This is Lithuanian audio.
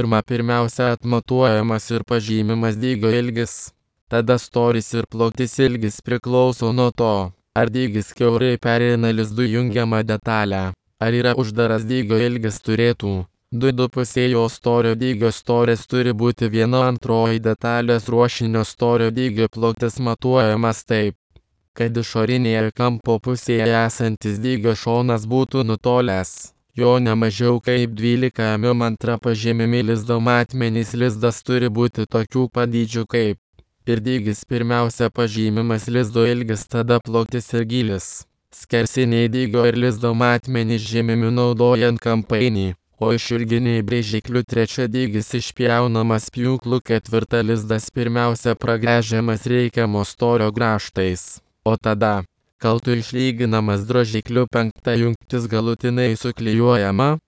Pirmiausia atmatuojamas ir pažymimas dygio ilgis. Tada storis ir plotis ilgis priklauso nuo to, ar dygis kiaurai pereina lizdų jungiamą detalę, ar yra uždaras dygio ilgis turėtų. 2,5 jo storio dygio storis turi būti 1/2 detalės ruošinio storio dygio. Plotis matuojamas taip, kad išorinėje kampo pusėje esantis dygio šonas būtų nutolęs jo ne mažiau kaip 12 mm. Pažymimi lizdo matmenys. Lizdas turi būti tokių pat dydžių kaip ir dygis. Pirmiausia pažymimas lizdo ilgis, tada plotis ir gylis. Skersiniai dygio ir lizdo matmenys žymimi naudojant kampainį, o išilginiai brėžikliu. 3. Dygis išpjaunamas pjūklu. 4. Lizdas pirmiausia pragręžiamas reikiamo storio grąžtais, o tada kaltu išlyginamas drožikliu. 5. Jungtis galutinai suklijuojama,